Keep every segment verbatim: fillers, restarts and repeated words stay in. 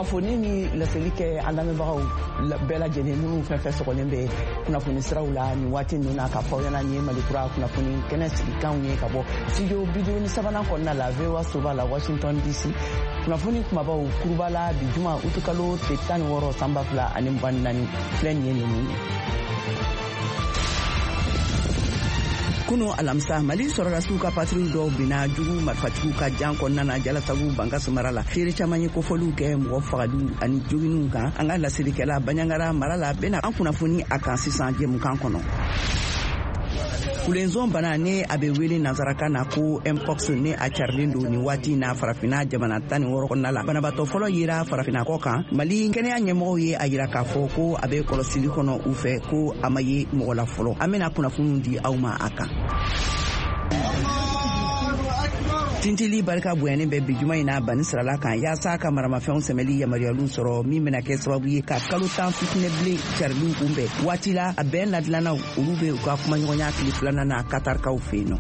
Kunnafoni ni laseli kɛ an lamɛnbagaw bɛɛ lajɛlen minnu fɛn fɛn sɔgɔlen bɛ kunnafoni siraw la nin waati ninnu na, k'a fɔ aw ɲɛna nin ye Malikura kunnafoni kɛnɛ sigikanw ye ka bɔ studio bi duuru ni sabanan kɔnɔna la V O A soba la, Washington D C. Kunnafoni kumabaw kuruba la bi juma utukalo tile tan ni wɔɔrɔ san ba fila ani mugan ni naani filɛ nin ye ninnu ye. Kunu alamisa, Mali sɔrɔdasiw ka patrouille dɔw binna jugu marifatigiw ka jan kɔnɔna na Jalasagu, Bankasi mara la. Seere caman ye kofɔliw kɛ mɔgɔ fagaliw ani joginiw kan. An ka laselikɛla Baɲangara mara la bena an kunnafoni a kan sisan jɛmukan kɔnɔ. Kulenzon bana, ni a bɛ wele nansarakan na ko mpox, ni a carilen don nin waati na Farafina jamana tan ni wɔɔrɔ kɔnɔna la. Banabaatɔ fɔlɔ yera Farafina kɔ kan. Mali kɛnɛya ɲɛmɔgɔw ye a yira k'a fɔ ko a bɛ kɔlɔsili kɔnɔ u fɛ, ko a ma ye mɔgɔ la fɔlɔ. An bena kunnafoniw di aw ma a kan. Tintili barika bonyanen bɛ bi juma in na Bani sirala kan yaasa ka maramafɛnw sɛmɛli yamaruyaliw sɔrɔ, min bena kɛ sababu ye ka kalo tan fitinɛ bilen cariliw kunbɛn. Waati la a bɛn ladilannaw, olu be u ka kumaɲɔgɔnya tile filanan na Katarikaw fɛ yen nɔ.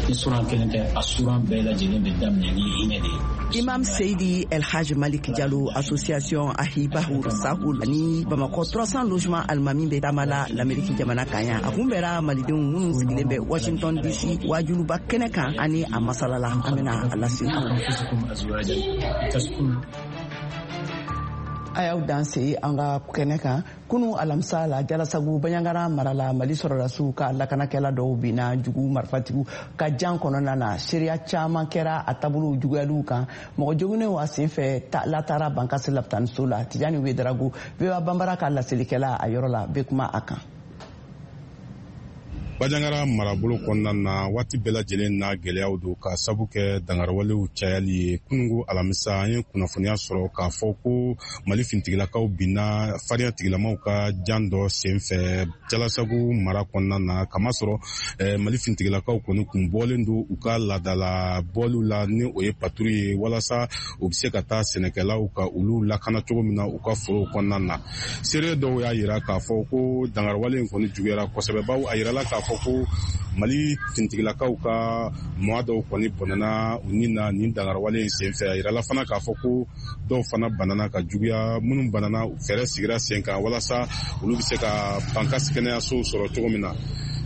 Ni suran kelen tɛ, a suran bɛɛ lajɛlen bɛ daminɛ ni hinɛ de ye. Imam Seydi El Haj Malik Diallo, association Ahibahu Sahul ani Bamakɔ trois cents logement alimami bɛ taama la l'Amérique jamana kan yan. A kunbɛra malidenw minnu sigilen bɛ Washington D C wajuluba kɛnɛ kan ani a masala la. An bɛna a lase aw. أنفسكم أزواجا لتسكنوا A y'aw dan se an ka kɛnɛ kan. Kunu alamisa la, Jalasagu, Baɲangara mara la, Mali sɔrɔdasiw ka lakanakɛla dɔw binna jugu marifatigiw ka jan kɔnɔna na. Seereya caman kɛra a taabolow juguyaliw kan. Mɔgɔ joginnenw a sen fɛ latara Bankasi lapitaniso la. Tijani Wedarago, V O A Banbara ka laselikɛla a yɔrɔ la, bɛ kuma a kan. Bajangara marabolo kɔnɔna na, waati bɛɛ lajɛlen na gwɛlɛyaw don ka sabu kɛ dangarawalew cayali ye. Kunungo alamisa, an ye kunnafoniya sɔrɔ k'a fɔ ko Mali fintigilakaw binna farinya tigilamaw ka jan dɔ sen fɛ Jalasagu mara kɔnɔna na, kamasɔrɔ eh, Mali fintigilakaw kɔni kun bɔlen don u ka ladala bɔliw la, ni o ye patrouille ye, walasa u be se ka taa sɛnɛkɛlaw ka olu lakana cogo min na u ka forow kɔnɔna na. Seere dɔw y'a yira k'a fɔ ko dangarawale in kɔni juguyara kosɛbɛ, bawo a yirala k'a fɔ ko Mali fintigilakaw ka mɔgɔ dɔw kɔni bɔnɛna u ni na nin dangarawale in sen fɛ. A yirala fana k'a fɔ ko dɔw fana banana ka juguya. Minnu banana, fɛɛrɛ sigira sen kan walasa olu be se ka Bankasi kɛnɛyasow sɔrɔ cogo min na.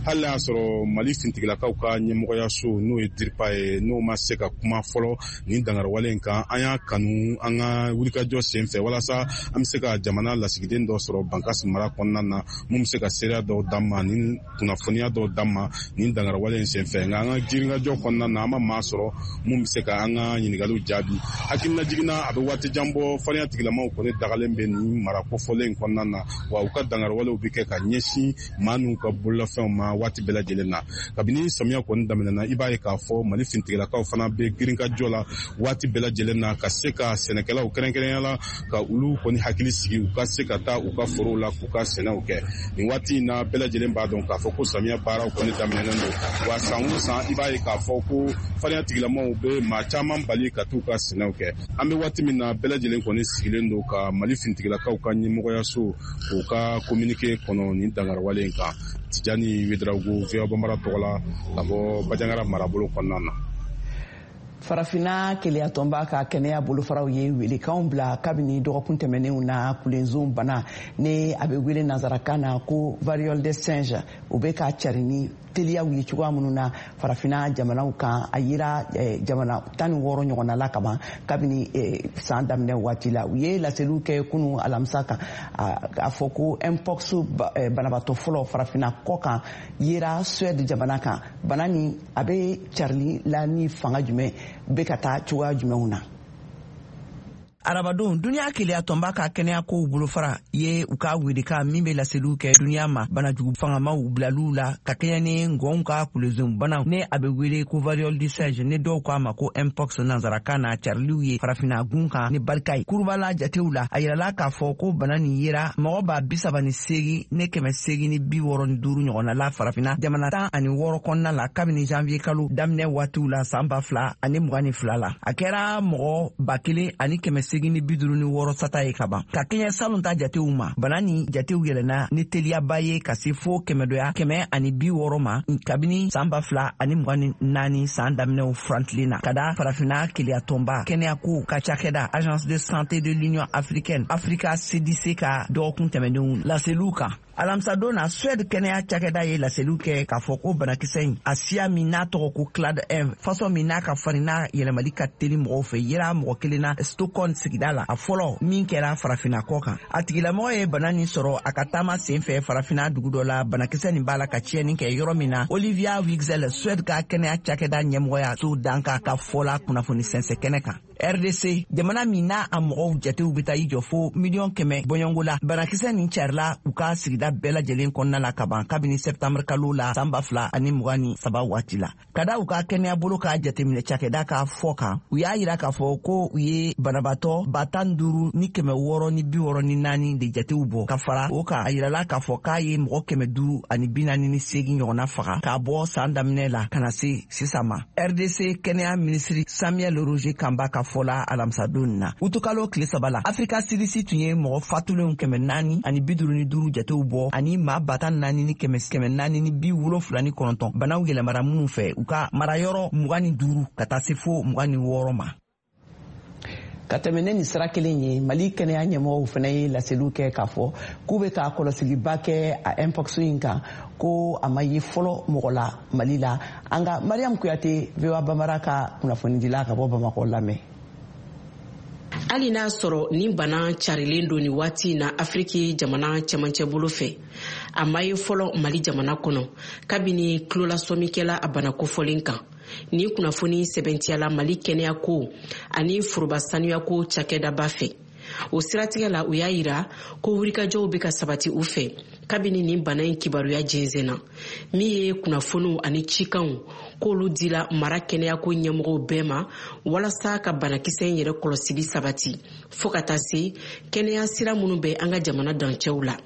Hali n'a y'a sɔrɔ Mali fintigilakaw ka ɲɛmɔgɔyaso, n'o ye DIRPA ye, n'o ma se ka kuma fɔlɔ nin dangarawale in kan, an y'a kanu an ka wulikajɔ sen fɛ walasa an be se ka jamana lasigiden dɔ sɔrɔ Bankasi mara kɔnɔna na, mun be se ka seereya dɔw d'an ma ni kunnafoniya dɔw d'an ma nin dangarawale in sen fɛ. Nka an ka jirinkajɔ kɔnɔna na, an ma maa sɔrɔ mun be se ka an ka ɲiningaliw jaabi. Hakilina jiginna, a bɛ waati jan bɔ, farinya tigilamaw kɔni dagalen bɛ nin mara kofɔlen in kɔnɔna na, wa u ka dangarawalew bɛ kɛ ka ɲɛsin maa n'u ka bololafɛnw ma waati bɛɛ lajɛlen na. Kabini samiya kɔni daminɛna, i b'a ye k'a fɔ Mali fintigilakaw fana bɛ girinkajɔ la waati bɛɛ lajɛlen na ka se ka sɛnɛkɛlaw, kɛrɛnkɛrɛnya la, ka olu kɔni hakili sigi u ka se ka taa u ka forow la k'u ka sɛnɛw kɛ. Nin waati in na, bɛɛ lajɛlen b'a dɔn k'a fɔ ko samiya baaraw kɔni daminɛnen don, wa san o san, i b'a ye k'a fɔ ko farinya tigilamaw bɛ maa caman bali ka t'u ka sɛnɛw kɛ. An bɛ waati min na, bɛɛ lajɛlen kɔni sigilen don ka Mali fintigilakaw ka ɲɛmɔgɔyaso k'u ka communiqué kɔnɔ nin dangarawale in kan. Tijani Wedarago, V O A Banbara tɔgɔ la, ka bɔ Bajangara marabolo kɔnɔna na. Farafinna keleyatɔnba ka kɛnɛya bolofaraw ye welekanw bila kabini dɔgɔkun tɛmɛnenw na. Kulenzon bana, ni a bɛ wele nansarakan na ko variole de singe, o bɛ ka cari ni teliyaw ye cogoya minnu na Farafinna jamanaw kan, a yira eh, jamana tan ni wɔɔrɔ ɲɔgɔnna la kaban kabini eh, san daminɛ waati la. U ye laseliw kɛ kunu alamisa kan a fɔ ko mpox eh, banabaatɔ fɔlɔ Farafinna kɔ kan yera Suède jamana kan. Bana ni a bɛ carili la ni fanga jumɛn, bɛ ka taa cogoya jumɛnw na? Arabadon, duniya keleya tɔnba ka kɛnɛya kow bolofara ye u ka welekan min be laseliw kɛ duniya ma banajugu fangamaw bilaliw la ka kɛɲɛ ni ngɔnw ka kulezon banaw, ni a be wele ko variole du singe, ni dɔw ko a ma ko mpox nansarakan na, cariliw ye Farafina gun kan ni barika ye. Kurubala jatew la, a yirala k'a fɔ ko bana nin yera mɔgɔ ba bi saba ni segi ne kɛmɛ segin ni bi wɔrɔ ni duuru ɲɔgɔnna la Farafina jamana tan ani wɔɔrɔ kɔnɔna la kabini janvier kalo daminɛ waatiw la san ba fila ani mugan ni fila la. A kɛra mɔgɔ ba kelen ani kɛmɛ seegin ni bi duuru ni wɔɔrɔ sata ye ka ban. Ka kɛɲɛ salon ta jatew ma, bana ni jatew yɛlɛnna ni teliyaba ye ka se fo kɛmɛdoya kɛmɛ ani bi wɔɔrɔ ma kabini san ba fila ani mugan ni naani san daminɛw furantilen na, ka da farafinna keleyatɔnba kɛnɛyako ka cakɛda Agence de santé de l'Union africaine Africa C D C ka dɔgɔkun tɛmɛnenw laseliw kan. Alamisadon na, Suède kɛnɛya cakɛda ye laseliw kɛ k'a fɔ ko banakisɛ in a siya min n'a tɔgɔ ko clade un, fasɔn min n'a ka farin n'a yɛlɛmali ka teli mɔgɔw fɛ, yera mɔgɔ kelen na Stockholm sigida la, a fɔlɔ min kɛra farafinna kɔ kan. A tigilamɔgɔ ye bana nin sɔrɔ a ka taama sen fɛ farafinna dugu dɔ la, banakisɛ nin b'a la ka tiɲɛni kɛ yɔrɔ min na. Olivia Wigzel, Suède ka kɛnɛya cakɛda ɲɛmɔgɔya so dankan ka fɔ la kunnafoni sɛnsɛn kɛnɛ kan. R D C, jamana min n'a a mɔgɔw jatew bɛ taa i jɔ fo miliyɔn kɛmɛ bɔɲɔgɔnko la, banakisɛ nin carila u ka sigida bɛɛ lajɛlen kɔnɔna la ka ban kabini sɛptanburu kalo la san ba fila ani mugan ni saba waati la. Ka da u ka kɛnɛya bolo k'a jateminɛ cakɛda ka fɔ kan, u y'a yira k'a fɔ ko u ye banabaatɔ ba tan duuru ni kɛmɛ wɔɔrɔ ni bi wɔɔrɔ ni naani de jatew bɔ. Ka fara o kan, a yirala k'a fɔ k'a ye mɔgɔ kɛmɛ duuru ani bi naani ni seegin ɲɔgɔnna faga k'a bɔ san daminɛ la ka na se sisan ma. R D C kɛnɛya minisiri Samuel Roger Kamba ka fɔla alamisadon na, utukalo tile saba la, Afrika C D C tun ye mɔgɔ fatulenw kɛmɛ naani ani bi duuru ni duuru jatew bɔ ani maa ba tan naani ni kɛmɛ kɛmɛ naani ni bi wolonfila ni kɔnɔntɔn banaw yɛlɛmara minnu fɛ u ka marayɔrɔ mugan ni duuru ka taa se fo mugan ni wɔɔrɔ ma. Ka tɛmɛ ne ni sira kelen ye, Mali kɛnɛya ɲɛmɔgɔw fana ye laseliw kɛ k'a fɔ k'u bɛ ka kɔlɔsiliba kɛ a mpox in kan, ko a ma ye fɔlɔ mɔgɔ la Mali la. An ka Mariam Kuyate, V O A Bambara ka kunnafonidila ka bɔ Bamakɔ lamɛn. Hali n'a sɔrɔ nin bana carilen don nin waati in na Afiriki jamana cɛmancɛ bolo fɛ, a ma ye fɔlɔ Mali jamana kɔnɔ kabini tulolasɔmikɛla a bana kofɔlen kan. Nin kunnafoni sɛbɛntiyala Mali kɛnɛyako ani foroba sanuyako cakɛdaba fɛ. O siratigɛ la, u y'a yira ko wulikajɔw bɛ ka sabati u fɛ kabini nin bana in kibaruya jɛnsɛnna, min ye kunnafoniw ani cikanw k'olu dila mara kɛnɛyako ɲɛmɔgɔw bɛɛ ma walasa ka banakisɛ in yɛrɛ kɔlɔsili sabati fo ka taa se kɛnɛya sira minnu bɛ an ka jamana dancɛw la.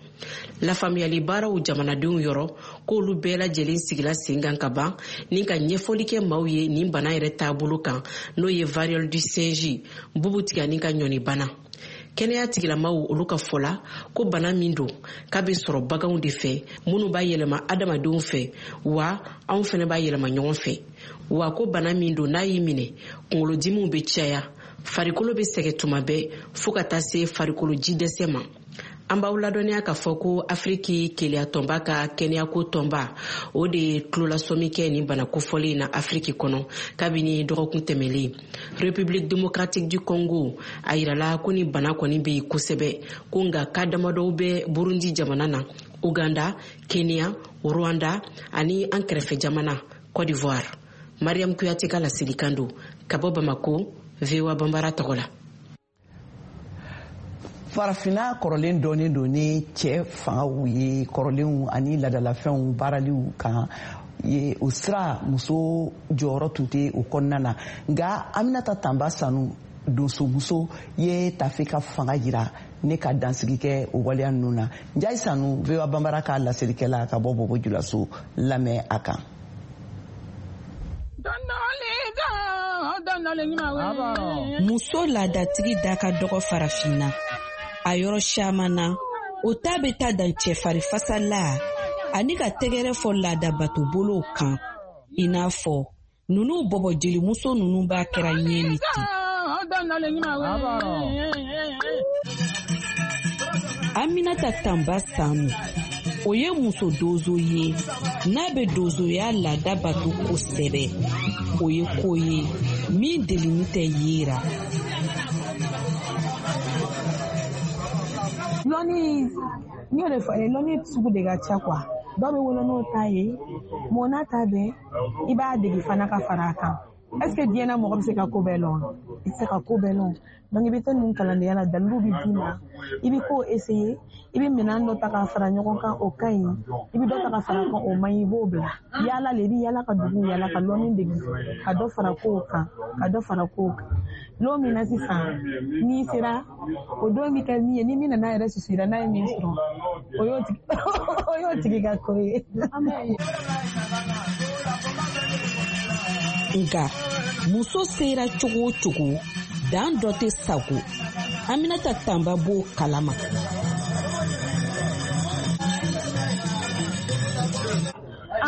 Lafaamuyali baaraw jamanadenw yɔrɔ k'olu bɛɛ lajɛlen sigila sen kan ka ban ni ka ɲɛfɔli kɛ maaw ye nin bana yɛrɛ taabolo kan, n'o ye variole du singe, bubu tigani ka ɲɔni bana. Kɛnɛya tigilamaw olu ka fɔ la ko bana min don k'a bɛ sɔrɔ baganw de fɛ minnu b'a yɛlɛma adamadenw fɛ, wa anw fɛnɛ b'a yɛlɛma ɲɔgɔn fɛ. Wa ko bana min don n'a y'i minɛ, kunkolodimiw bɛ caya, farikolo bɛ sɛgɛn tuma bɛɛ fo ka taa se farikolo jidɛsɛ ma. An b'aw ladɔnniya k'a fɔ ko Afiriki keleyatɔnba ka kɛnɛyako tɔnba o de ye tulolasɔmi kɛ nin bana kofɔlen na Afiriki kɔnɔ kabini dɔgɔkun tɛmɛlen. République démocratique du Congo a yirala ko nin bana kɔni bɛ yen kosɛbɛ, ko nka ka damadɔw bɛ Burundi jamana na, Uganda, Kenya, Rwanda ani an kɛrɛfɛ jamana Côte d'Ivoire. Mariam Kuyate ka laselikan don ka bɔ Bamako, V O A Bambara tɔgɔ la. Farafinna kɔrɔlen dɔɔnin don ni cɛ fangaw ye kɔrɔlenw ani ladalafɛnw baaraliw kan ye, o sira muso jɔyɔrɔ tun tɛ o kɔnɔna na. Nka Aminata Tanba Sanu, donsomuso ye tafe ka fanga yira ne ka dansigi kɛ o waleya ninnu na. Njayi Sanu, V O A Bambara ka laselikɛla ka bɔ Bobo Julaso lamɛn a kan. Muso laadatigi da ka dɔgɔ farafinna. A yɔrɔ caman na, o ta bɛ taa dan cɛfarifasa la ani ka tɛgɛrɛ fɔ laadabato bolow kan, i n'a fɔ ninnu bɔbɔ jelimuso ninnu b'a kɛra ɲɛ ni ten. Aminata Tanba Sanu, o ye muso donso ye n'a bɛ donsoya laada bato kosɛbɛ. O ye ko ye min delini tɛ yera. Lɔnni, n y'o de fɔ, lɔnni sugu de ka ca quoi. Dɔw bɛ wolo n'o ta ye, mɔn n'a ta bɛɛ, i b'a dege fana ka fara a kan. Est ce que diɲɛ na mɔgɔ bɛ se ka ko bɛɛ lɔn? I tɛ se ka ko bɛɛ lɔn. Donc i bɛ taa ninnu kalandenya la, daliluw bɛ d'i ma, i bɛ ko essayer, i bɛ minɛn dɔ ta ka fara ɲɔgɔn kan, o ka ɲi, i bɛ dɔ ta ka fara kan, o man ɲi, i b'o bila. Yaala le, i bɛ yaala ka dugu yaala ka lɔnni dege, ka dɔ fara kow kan, ka dɔ fara kow kan. Lon min na sisan, n'i sera, o don bɛ kɛ min ye, ni min nana yɛrɛ susu i la, n'a ye min sɔrɔ, o y'o tigi o y'o tigi ka ko ye. Nka muso sera cogo o cogo, dan dɔ tɛ sago. Aminata Tanba b'o kalama.